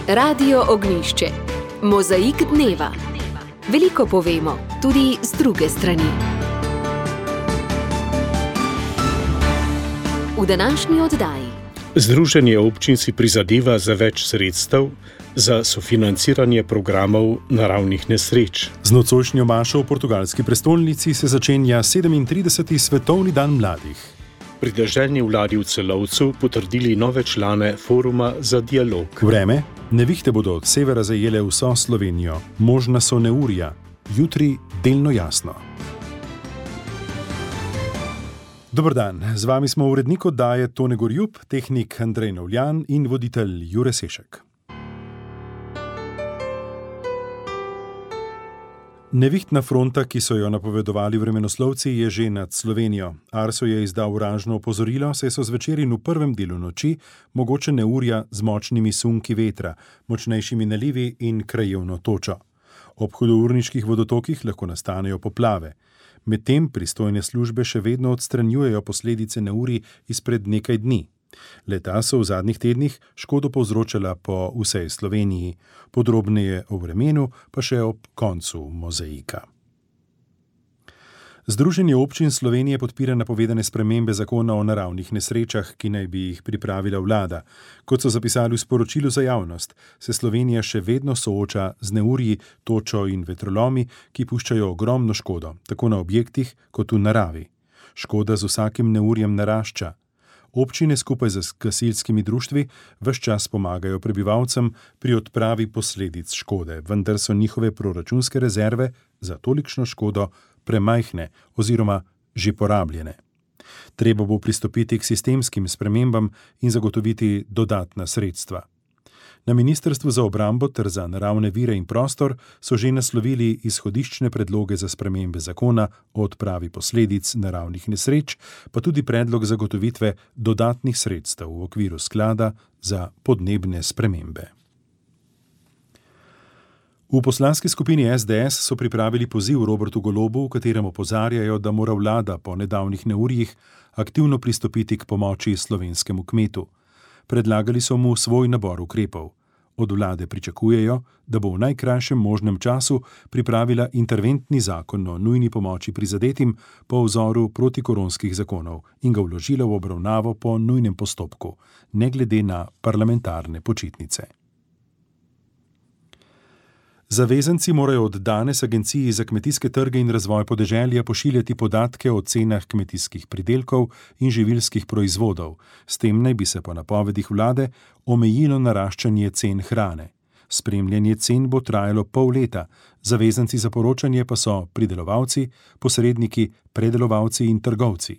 Radio Ognjišče. Mozaik dneva. Veliko povemo, tudi z druge strani. V današnji oddaji. Združenje občin si prizadeva za več sredstev za sofinanciranje programov naravnih nesreč. Z nocojšnjo mašo v portugalski prestolnici se začenja 37. svetovni dan mladih. Pri deželni vladi v Celovcu potrdili nove člane foruma za dialog. Vreme. Nevihte bodo od severa zajele vso Slovenijo. Možna so neurja. Jutri delno jasno. Dober dan, z vami smo urednik oddaje Tone Gorjup, tehnik Andrej Novljan in voditelj Jure Sešek. Nevihtna fronta, ki so jo napovedovali vremenoslovci, je že nad Slovenijo. Arso je izdal oranžno opozorilo, saj so zvečer in v prvem delu noči mogoče neurja z močnimi sunki vetra, močnejšimi nalivi in krajevno točo. Ob hudourniških vodotokih lahko nastanejo poplave. Medtem pristojne službe še vedno odstranjujejo posledice neurij izpred nekaj dni. Leta so v zadnjih tednih škodo povzročala po vsej Sloveniji. Podrobneje o vremenu pa še ob koncu mozaika. Združenje občin Slovenije podpira napovedane spremembe zakona o naravnih nesrečah, ki naj bi jih pripravila vlada. Kot so zapisali v sporočilu za javnost, se Slovenija še vedno sooča z neurji, točo in vetrolomi, ki puščajo ogromno škodo, tako na objektih kot v naravi. Škoda z vsakim neurjem narašča. Občine skupaj z gasilskimi društvi ves čas pomagajo prebivalcem pri odpravi posledic škode, vendar so njihove proračunske rezerve za tolikšno škodo premajhne oziroma že porabljene. Treba bo pristopiti k sistemskim spremembam in zagotoviti dodatna sredstva. Na Ministrstvu za obrambo ter za naravne vire in prostor so že naslovili izhodiščne predloge za spremembe zakona o odpravi posledic naravnih nesreč, pa tudi predlog zagotovitve dodatnih sredstev v okviru sklada za podnebne spremembe. V poslanski skupini SDS so pripravili poziv Robertu Golobu, v katerem opozarjajo, da mora vlada po nedavnih neurjih aktivno pristopiti k pomoči slovenskemu kmetu. Predlagali so mu svoj nabor ukrepov. Od vlade pričakujejo, da bo v najkrajšem možnem času pripravila interventni zakon o nujni pomoči prizadetim po vzoru protikoronskih zakonov in ga vložila v obravnavo po nujnem postopku, ne glede na parlamentarne počitnice. Zavezanci morajo od danes Agenciji za kmetijske trge in razvoj podeželja pošiljati podatke o cenah kmetijskih pridelkov in živilskih proizvodov. S tem naj bi se po napovedih vlade omejilo naraščanje cen hrane. Spremljanje cen bo trajalo pol leta, zavezanci za poročanje pa so pridelovalci, posredniki, predelovalci in trgovci.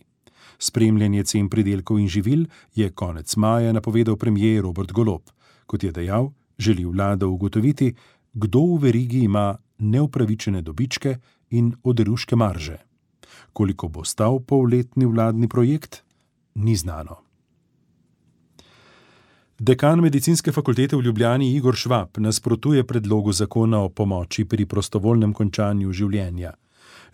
Spremljanje cen pridelkov in živil je konec maja napovedal premier Robert Golob. Kot je dejal, želi vlada ugotoviti, kdo v verigi ima neupravičene dobičke in oderuške marže. Koliko bo stal polletni vladni projekt, ni znano. Dekan Medicinske fakultete v Ljubljani Igor Švab nasprotuje predlogu zakona o pomoči pri prostovoljnem končanju življenja.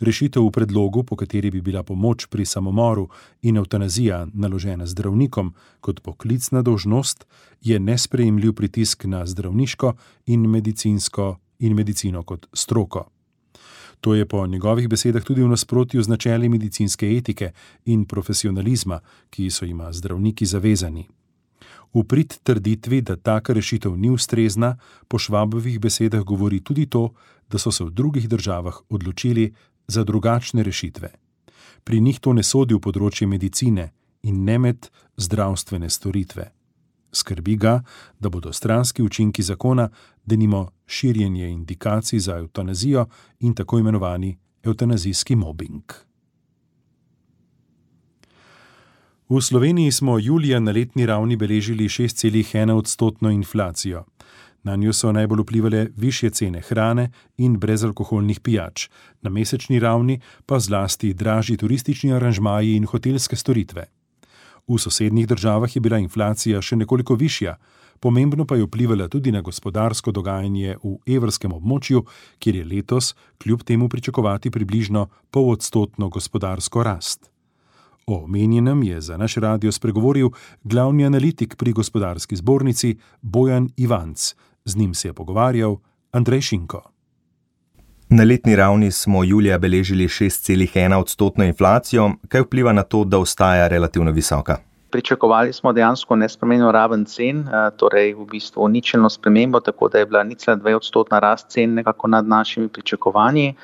Rešitev v predlogu, po kateri bi bila pomoč pri samomoru in evtanazija naložena zdravnikom kot poklicna dolžnost, je nesprejemljiv pritisk na zdravniško in medicino kot stroko. To je po njegovih besedah tudi v nasprotju z načeli medicinske etike in profesionalizma, ki so jima zdravniki zavezani. V prid trditvi, da taka rešitev ni ustrezna, po Švabovih besedah govori tudi to, da so se v drugih državah odločili za drugačne rešitve. Pri njih to ne sodi v področje medicine in ne med zdravstvene storitve. Skrbi ga, da bodo stranski učinki zakona, denimo širjenje indikacij za evtanazijo in tako imenovani evtanazijski mobing. V Sloveniji smo julija na letni ravni beležili 6,1% inflacijo. Na njo so najbolj vplivale višje cene hrane in brezalkoholnih pijač, na mesečni ravni pa zlasti dražji turistični aranžmaji in hotelske storitve. V sosednjih državah je bila inflacija še nekoliko višja, pomembno pa je vplivala tudi na gospodarsko dogajanje v evrskem območju, kjer je letos kljub temu pričakovati približno 0,5% gospodarsko rast. O omenjenem je za naš radio spregovoril glavni analitik pri Gospodarski zbornici Bojan Ivanc Z njim se je pogovarjal Andrej Šinko. Na letni ravni smo julija beležili 6,1% inflacijo. Kaj vpliva na to, da ostaja relativno visoka? Pričakovali smo dejansko nespremenjeno raven cen, torej v bistvu ničelno spremembo, tako da je bila 0,2% rast cen nekako nad našimi pričakovanji.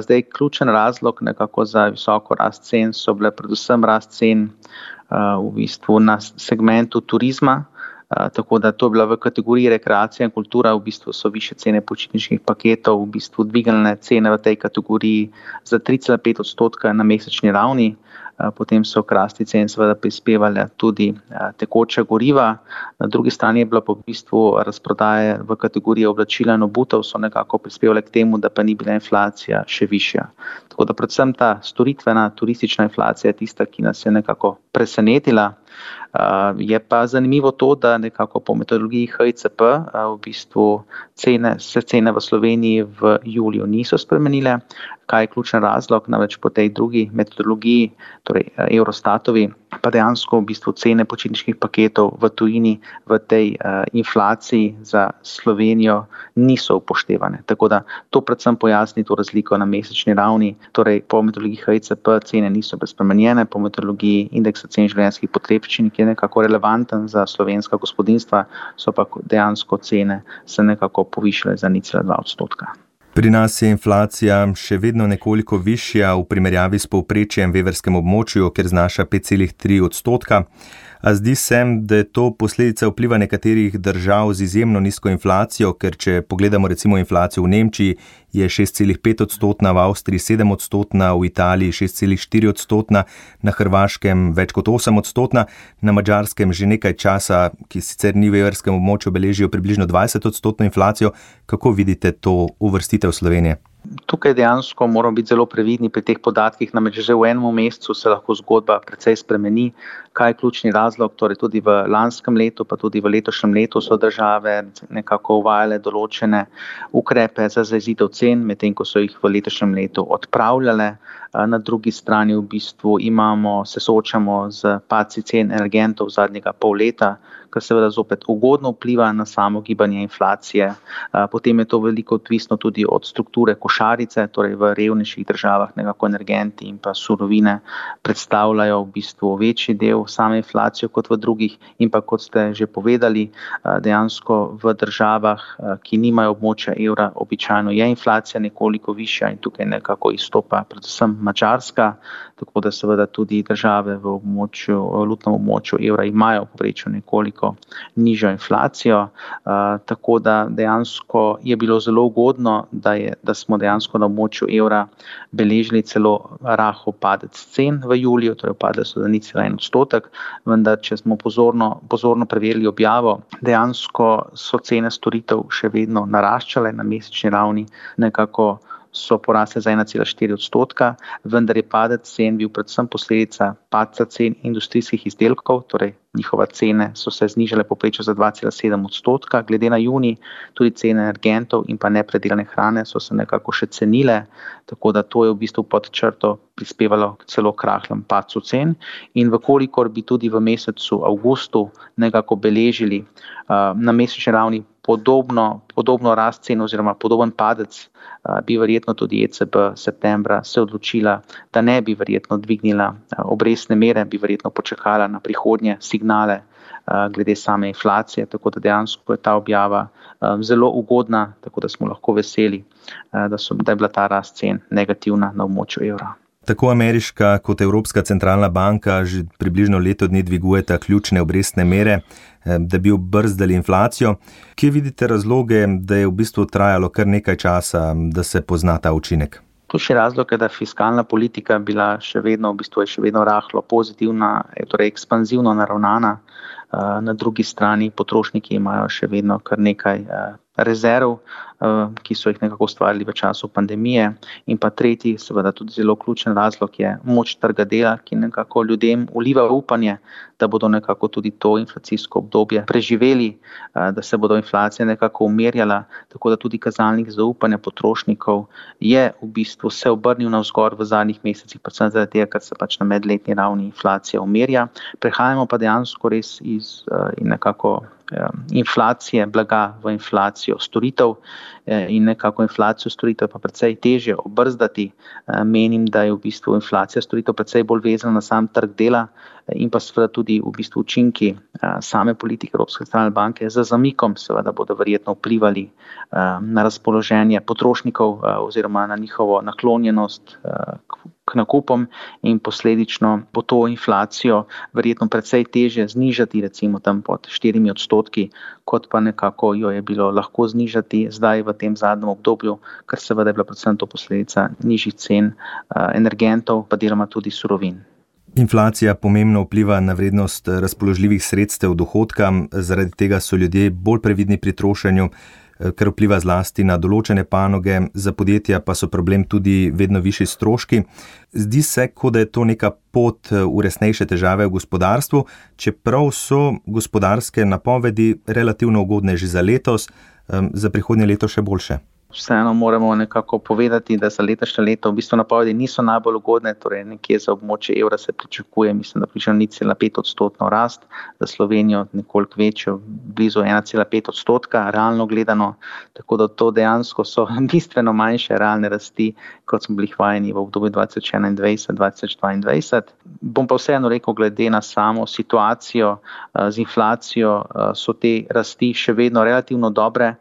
Zdaj, ključen razlog nekako za visoko rast cen so bile predvsem rast cen v bistvu na segmentu turizma. Tako da to je bila v kategoriji rekreacija in kultura, v bistvu so višje cene počitniških paketov, v bistvu dvignile cene v tej kategoriji za 3,5% na mesečni ravni. Potem so k rasti cen seveda prispevale tudi tekoča goriva. Na drugi strani je bila pa v bistvu razprodaje v kategoriji oblačila in obutev so nekako prispevale k temu, da pa ni bila inflacija še višja. Tako da predvsem ta storitvena turistična inflacija je tista, ki nas je nekako presenetila. Je pa zanimivo to, da nekako po metodologiji HICP v bistvu cene v Sloveniji v juliju niso spremenile. Kaj je ključen razlog? Namreč po tej drugi metodologiji, torej Eurostatovi, pa dejansko v bistvu cene počitniških paketov v tujini v tej inflaciji za Slovenijo niso upoštevane. Tako da to predvsem pojasni to razliko na mesečni ravni. Torej po metodologiji HICP cene niso spremenjene, po metodologiji indeksa cen življenjskih potrebščin, ki je nekako relevanten za slovenska gospodinjstva, so pa dejansko cene se nekako povišale za 0,2%. Pri nas je inflacija še vedno nekoliko višja v primerjavi s povprečjem v evrskem območju, kjer znaša 5,3%. A zdi se, da je to posledica vpliva nekaterih držav z izjemno nizko inflacijo, ker če pogledamo recimo inflacijo v Nemčiji, je 6,5%, v Avstriji 7%, v Italiji 6,4%, na Hrvaškem več kot 8%, na Madžarskem že nekaj časa, ki sicer ni v evrskem območju, beležijo približno 20% inflacijo. Kako vidite to uvrstitev Slovenije? Tukaj dejansko moramo biti zelo previdni pri teh podatkih, namreč že v enem mesecu se lahko zgodba precej spremeni. Kaj je ključni razlog? Torej tudi v lanskem letu, pa tudi v letošnjem letu so države nekako uvajale določene ukrepe za zajezitev cen, medtem ko so jih v letošnjem letu odpravljale. Na drugi strani v bistvu se soočamo z padci cen energentov zadnjega pol leta, kar seveda zopet ugodno vpliva na samo gibanje inflacije. Potem je to veliko odvisno tudi od strukture košarice, torej v revnejših državah nekako energenti in pa surovine predstavljajo v bistvu večji del same inflacije kot v drugih. In pa kot ste že povedali, dejansko v državah, ki nimajo območja evra, običajno je inflacija nekoliko višja in tukaj nekako izstopa predvsem Madžarska, tako da seveda tudi države v valutnem območju evra imajo v povprečju nekoliko nižjo inflacijo, tako da dejansko je bilo zelo ugodno, da smo dejansko na območju evra beležili celo rahel padec cen v juliju, torej padle so za 0,1%, vendar če smo pozorno preverili objavo, dejansko so cene storitev še vedno naraščale na mesečni ravni, nekako so porasle za 1,4%, vendar je padec cen bil predvsem posledica padca cen industrijskih izdelkov, torej njihove cene so se znižale povprečno za 2,7%. Glede na junij tudi cene energentov in pa nepredelane hrane so se nekako še cenile, tako da to je v bistvu pod črto prispevalo celo k rahlemu padcu cen. In vkolikor bi tudi v mesecu avgustu nekako beležili na mesečni ravni podobno rast cen oziroma podoben padec, bi verjetno tudi ECB septembra se odločila, da ne bi verjetno dvignila obrestne mere, bi verjetno počakala na prihodnje signale glede same inflacije, tako da dejansko je ta objava zelo ugodna, tako da smo lahko veseli, da je bila ta rast cen negativna na območju evra. Tako ameriška kot Evropska centralna banka že približno leto dni dvigujeta ključne obrestne mere, da bi obrzdali inflacijo. Kje vidite razloge, da je v bistvu trajalo kar nekaj časa, da se pozna ta učinek? Ključni razlog je, da fiskalna politika bila še vedno rahlo pozitivna, torej ekspanzivno naravnana. Na drugi strani potrošniki imajo še vedno kar nekaj rezerv, ki so jih nekako ustvarili v času pandemije. In pa tretji, seveda tudi zelo ključen razlog je moč trga dela, ki nekako ljudem vliva upanje, da bodo nekako tudi to inflacijsko obdobje preživeli, da se bodo inflacije nekako umirjala, tako da tudi kazalnik zaupanja potrošnikov je v bistvu se obrnil navzgor v zadnjih mesecih, predvsem zaradi tega, ker se pač na medletni ravni inflacija umirja. Prehajamo pa dejansko res iz nekako inflacije blaga v inflacijo storitev in nekako inflacijo storitev pa precej težje obrzdati. Menim, da je v bistvu inflacija storitev precej bolj vezana na sam trg dela in pa seveda tudi v bistvu učinki same politike Evropske centralne banke z zamikom seveda bodo verjetno vplivali na razpoloženje potrošnikov oziroma na njihovo naklonjenost k nakupom in posledično bo to inflacijo verjetno precej težje znižati, recimo tam pod 4%, kot pa nekako jo je bilo lahko znižati zdaj v tem zadnjem obdobju, ker seveda je bila predvsem to posledica nižjih cen energentov, pa deloma tudi surovin. Inflacija pomembno vpliva na vrednost razpoložljivih sredstev dohodka, zaradi tega so ljudje bolj previdni pri trošenju, kar vpliva zlasti na določene panoge, za podjetja pa so problem tudi vedno višji stroški. Zdi se, kot da je to neka pot v resnejše težave v gospodarstvu, čeprav so gospodarske napovedi relativno ugodne že za letos, za prihodnje leto še boljše. Vseeno moramo nekako povedati, da za letošnje leto v bistvu napovedi niso najbolj ugodne, torej nekje za območje evra se pričakuje, mislim, da približno 0,5% rast, za Slovenijo nekoliko večjo, blizu 1,5%, realno gledano, tako da to dejansko so bistveno manjše realne rasti, kot smo bili vajeni v obdobju 2021-2022. Bom pa vseeno rekel, glede na samo situacijo z inflacijo, so te rasti še vedno relativno dobre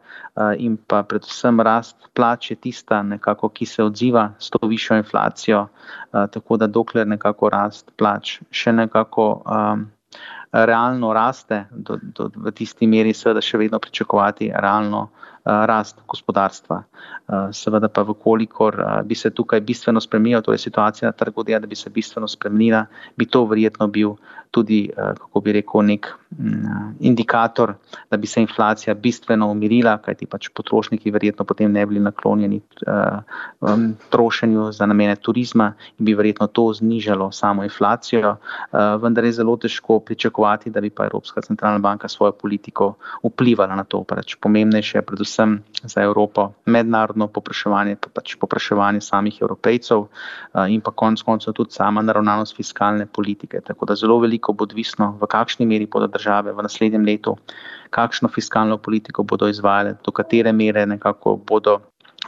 in pa predvsem rast plač je tista nekako, ki se odziva s to višjo inflacijo, tako da dokler nekako rast plač še nekako realno raste, v tisti meri seveda še vedno pričakovati realno rast gospodarstva. Seveda pa vkolikor bi se tukaj bistveno spremenila, torej situacija na trgu dela, da bi se bistveno spremenila, bi to verjetno bil tudi, kako bi rekel, nek indikator, da bi se inflacija bistveno umirila, kajti pač potrošniki verjetno potem ne bili naklonjeni trošenju za namene turizma in bi verjetno to znižalo samo inflacijo, vendar je zelo težko pričakovati, da bi pa Evropska centralna banka svojo politiko vplivala na to. Pač pomembnejše je predvsem za Evropo mednarodno povpraševanje, pa pač povpraševanje samih Evropejcev in pa konec koncev tudi sama naravnanost fiskalne politike. Tako da zelo veliko bo odvisno, v kakšni meri bodo države v naslednjem letu, kakšno fiskalno politiko bodo izvajale, do katere mere nekako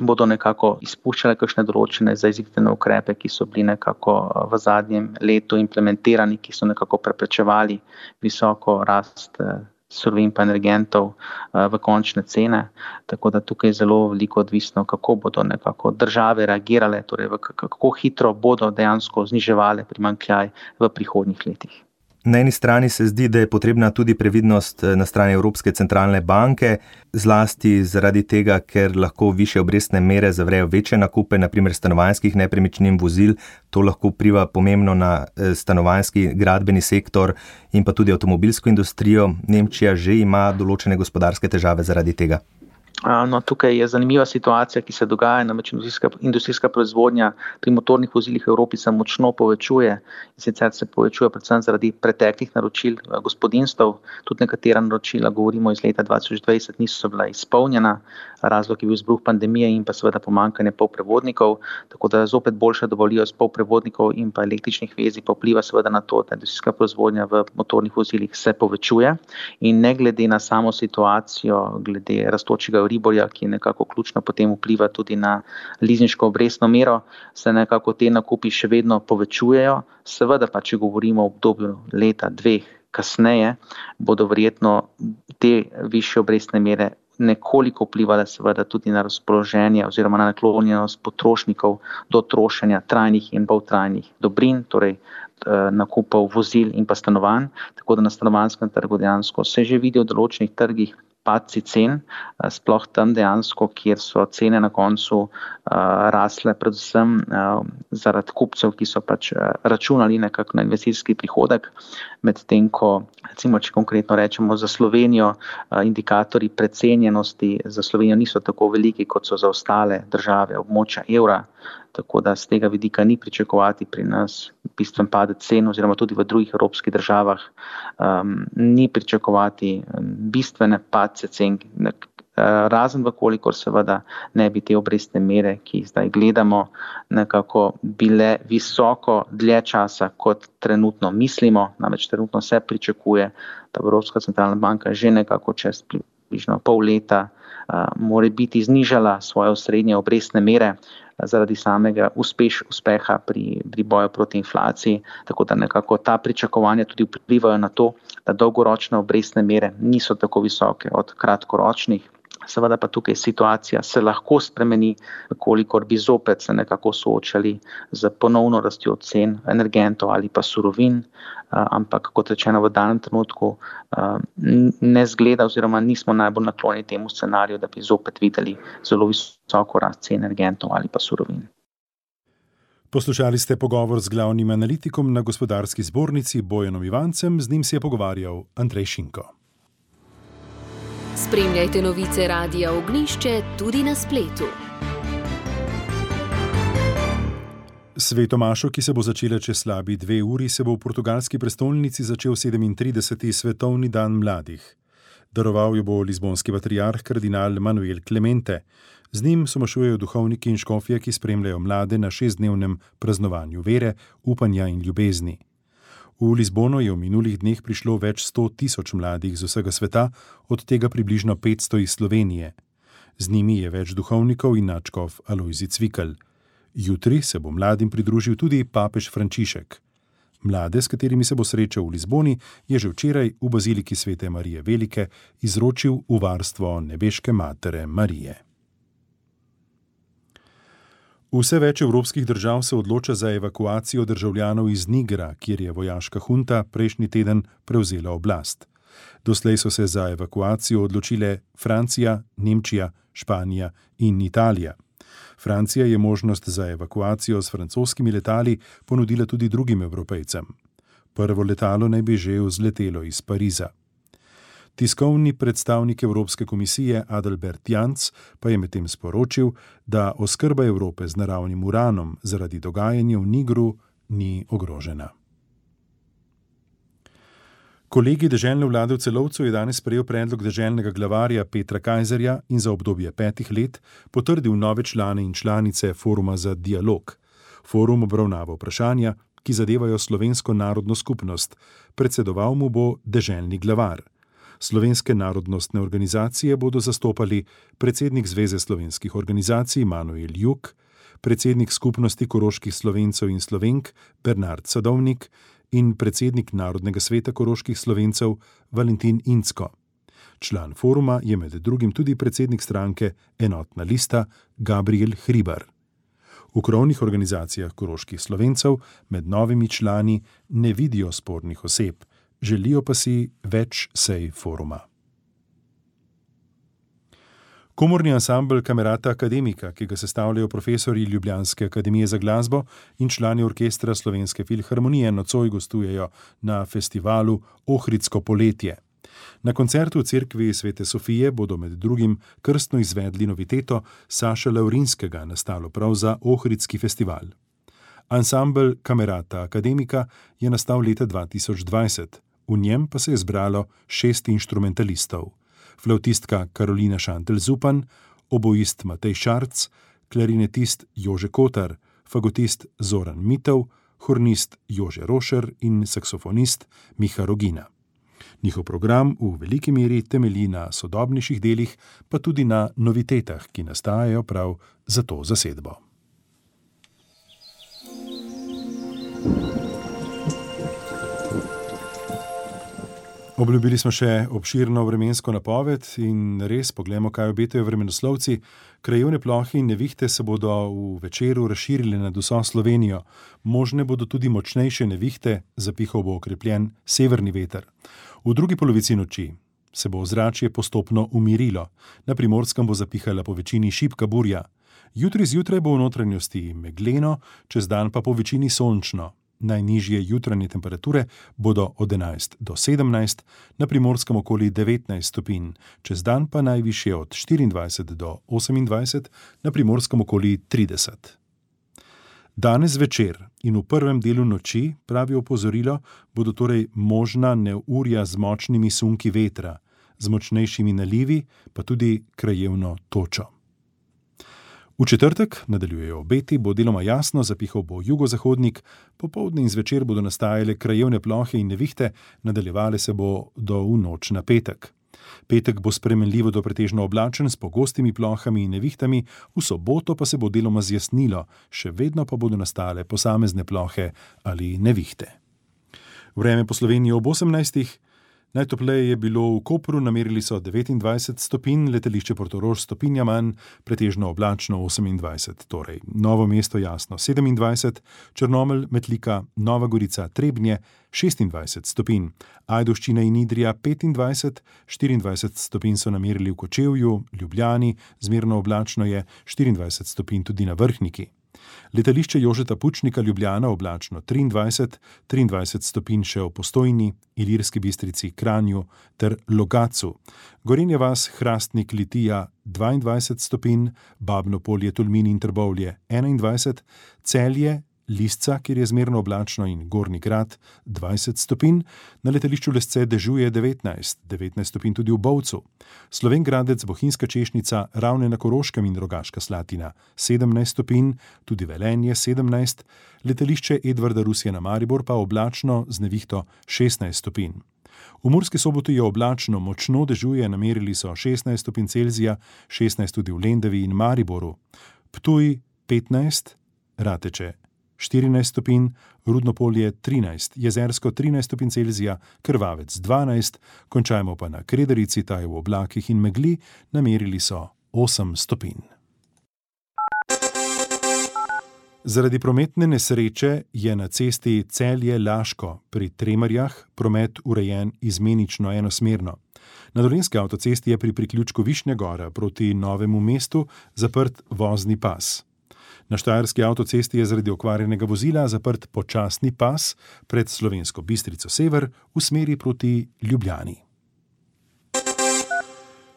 bodo nekako izpuščale kakšne določene zajezitve ukrepe, ki so bili nekako v zadnjem letu implementirani, ki so nekako preprečevali visoko rast surovin pa energentov v končne cene. Tako da tukaj je zelo veliko odvisno, kako bodo nekako države reagirale, torej kako hitro bodo dejansko zniževale primanjkljaj v prihodnjih letih. Na eni strani se zdi, da je potrebna tudi previdnost na strani Evropske centralne banke, zlasti zaradi tega, ker lahko višje obrestne mere zavrejo večje nakupe, naprimer stanovanjskih nepremičnin, vozil, to lahko vpliva pomembno na stanovanjski gradbeni sektor in pa tudi avtomobilsko industrijo. Nemčija že ima določene gospodarske težave zaradi tega. No, tukaj je zanimiva situacija, ki se dogaja, namreč industrijska proizvodnja pri motornih vozilih v Evropi se močno povečuje in sicer se povečuje predvsem zaradi preteklih naročil gospodinjstev. Tudi nekatera naročila, govorimo iz leta 2020, niso bila izpolnjena, razlog je bil izbruh pandemije in pa seveda pomanjkanje polprevodnikov, tako da zopet boljša dovoljivost polprevodnikov in pa električnih vezij pa vpliva seveda na to, da industrijska proizvodnja v motornih vozilih se povečuje in ne glede na samo situacijo, glede rastočega Riborja, ki nekako ključno potem vpliva tudi na lizinško obrestno mero, se nekako te nakupi še vedno povečujejo. Seveda pa, če govorimo o obdobju leta, dveh kasneje, bodo verjetno te višje obrestne mere nekoliko vplivale seveda tudi na razpoloženje oziroma na naklonjenost potrošnikov do trošenja trajnih in poltrajnih dobrin, torej nakupov vozil in pa stanovanj, tako da na stanovanjskem trgu dejansko se že vidi v določenih trgih padci cen, sploh tam dejansko, kjer so cene na koncu rasle predvsem zaradi kupcev, ki so pač računali nekako na investicijski prihodek, medtem ko, recimo, če konkretno rečemo za Slovenijo, indikatorji precenjenosti za Slovenijo niso tako veliki, kot so za ostale države območja evra, tako da z tega vidika ni pričakovati pri nas bistven padec cen, oziroma tudi v drugih evropskih državah ni pričakovati bistvene padce cen, razen vkolikor seveda ne bi te obrestne mere, ki jih zdaj gledamo, nekako bile visoko dlje časa, kot trenutno mislimo, namreč trenutno se pričakuje, da Evropska centralna banka že nekako čez približno pol leta mora biti znižala svoje osrednje obrestne mere zaradi samega uspeha pri boju proti inflaciji, tako da nekako ta pričakovanja tudi vplivajo na to, da dolgoročne obrestne mere niso tako visoke od kratkoročnih. Seveda pa tukaj situacija se lahko spremeni, kolikor bi zopet se nekako soočali z ponovno rastjo cen energentov ali pa surovin, ampak kot rečeno v danem trenutku ne zgleda oziroma nismo najbolj naklonjeni temu scenariju, da bi zopet videli zelo visoko rast cen energentov ali pa surovin. Poslušali ste pogovor z glavnim analitikom na Gospodarski zbornici Bojanom Ivancem, z njim se je pogovarjal Andrej Šinko. Spremljajte novice Radia Ognjišče tudi na spletu. Svetomašo, ki se bo začela čez slabi 2 uri, se bo v portugalski prestolnici začel 37. svetovni dan mladih. Daroval jo bo lizbonski patriarh kardinal Manuel Clemente. Z njim somašujejo duhovniki in škofje, ki spremljajo mlade na 6-dnevnem praznovanju vere, upanja in ljubezni. V Lizbono je v minulih dneh prišlo več 100.000 mladih z vsega sveta, od tega približno 500 iz Slovenije. Z njimi je več duhovnikov in nadškof Alojzij Cvikl. Jutri se bo mladim pridružil tudi papež Frančišek. Mlade, s katerimi se bo srečal v Lizboni, je že včeraj v baziliki Svete Marije Velike izročil v varstvo nebeške matere Marije. Vse več evropskih držav se odloča za evakuacijo državljanov iz Nigra, kjer je vojaška hunta prejšnji teden prevzela oblast. Doslej so se za evakuacijo odločile Francija, Nemčija, Španija in Italija. Francija je možnost za evakuacijo s francoskimi letali ponudila tudi drugim Evropejcem. Prvo letalo naj bi že vzletelo iz Pariza. Tiskovni predstavnik Evropske komisije Adalbert Janc pa je medtem sporočil, da oskrba Evrope z naravnim uranom zaradi dogajanja v Nigru ni ogrožena. Kolegij deželne vlade v Celovcu je danes sprejel predlog deželnega glavarja Petra Kajzerja in za obdobje 5 let potrdil nove člane in članice Foruma za dialog. Forum obravnava vprašanja, ki zadevajo slovensko narodno skupnost. Predsedoval mu bo deželni glavar. Slovenske narodnostne organizacije bodo zastopali predsednik Zveze slovenskih organizacij Manuel Juk, predsednik skupnosti koroških Slovencev in Slovenk Bernard Sadovnik in predsednik Narodnega sveta koroških Slovencev Valentin Incko. Član foruma je med drugim tudi predsednik stranke Enotna lista Gabriel Hribar. V krovnih organizacijah koroških Slovencev med novimi člani ne vidijo spornih oseb, želijo pa si več sej foruma. Komorni ansambel Kamerata Akademika, ki ga sestavljajo profesorji Ljubljanske akademije za glasbo in člani orkestra Slovenske filharmonije, nocoj gostujejo na festivalu Ohridsko poletje. Na koncertu v cerkvi Svete Sofije bodo med drugim krstno izvedli noviteto Saša Laurinskega, nastalo prav za Ohridski festival. Ansambel Kamerata Akademika je nastal leta 2020, v njem pa se je zbralo 6 inštrumentalistov. Flavtistka Karolina Šantel-Zupan, oboist Matej Šarc, klarinetist Jože Kotar, fagotist Zoran Mitov, hornist Jože Rošer in saksofonist Miha Rogina. Njihov program v veliki meri temelji na sodobnejših delih, pa tudi na novitetah, ki nastajajo prav za to zasedbo. Obljubili smo še obširno vremensko napoved in res poglejmo, kaj obetajo vremenoslovci. Krajevne plohe in nevihte se bodo v večeru razširile nad vso Slovenijo. Možne bodo tudi močnejše nevihte, zapihal bo okrepljen severni veter. V drugi polovici noči se bo ozračje postopno umirilo. Na Primorskem bo zapihala po večini šibka burja. Jutri zjutraj bo v notranjosti megleno, čez dan pa po večini sončno. Najnižje jutranje temperature bodo od 11 do 17, na Primorskem okoli 19 stopinj, čez dan pa najvišje od 24 do 28, na Primorskem okoli 30. Danes večer in v prvem delu noči, pravi opozorilo, bodo torej možna neurja z močnimi sunki vetra, z močnejšimi nalivi, pa tudi krajevno točo. V četrtek, nadaljujejo obeti, bo deloma jasno, zapihal bo jugozahodnik, popoldne in zvečer bodo nastajale krajevne plohe in nevihte, nadaljevale se bo do v noč na petek. Petek bo spremenljivo do pretežno oblačen s pogostimi plohami in nevihtami, v soboto pa se bo deloma zjasnilo, še vedno pa bodo nastale posamezne plohe ali nevihte. Vreme po Sloveniji ob 18. Najtopleje je bilo v Kopru, namerili so 29 stopinj, letališče Portorož stopinja manj, pretežno oblačno 28, torej Novo mesto jasno 27, Črnomelj, Metlika, Nova Gorica, Trebnje 26 stopinj, Ajdovščina in Idrija 25, 24 stopinj so namerili v Kočevju, Ljubljani, zmerno oblačno je 24 stopinj tudi na Vrhniki. Letališče Jožeta Pučnika Ljubljana oblačno 23, 23 stopinj še v Postojni, Ilirski Bistrici, Kranju ter Logatcu. Gorenja vas, Hrastnik, Litija 22 stopinj, Babno Polje, Tolmin in Trbovlje 21, Celje, Lisca, kjer je zmerno oblačno in Gornji Grad 20 stopinj, na letališču Lesce dežuje 19 stopinj tudi v Bovcu. Slovenj Gradec, Bohinjska Češnica, Ravne na Koroškem in Rogaška Slatina 17 stopinj, tudi Velenje 17, letališče Edvarda Rusija na Maribor pa oblačno z nevihto 16 stopinj. V Murski Soboti je oblačno, močno dežuje, namerili so 16 stopinj Celzija, 16 tudi v Lendavi in Mariboru. Ptuj 15, Rateče 14 stopinj, Rudno Polje 13, Jezersko 13 stopinj Celzija, Krvavec 12, končajmo pa na Krederici, ta je v oblakih in megli, namerili so 8 stopinj. Zaradi prometne nesreče je na cesti Celje-Laško pri Tremerjah promet urejen izmenično enosmerno. Na Dolenjski avtocesti je pri priključku Višnja Gora proti Novemu mestu zaprt vozni pas. Na Štajerski avtocesti je zaradi okvarjenega vozila zaprt počasni pas pred Slovensko Bistrico sever v smeri proti Ljubljani.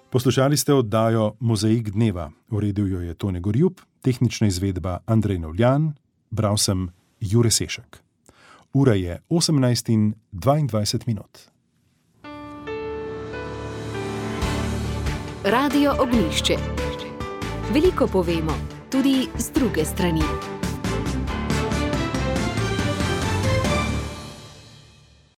Poslušali ste oddajo Mozaik dneva. Uredil jo je Tone Gorjup, tehnična izvedba Andrej Novljan, bral sem Jure Sešek. Ura je 18:22. Radio Ognjišče. Veliko povemo, tudi z druge strani.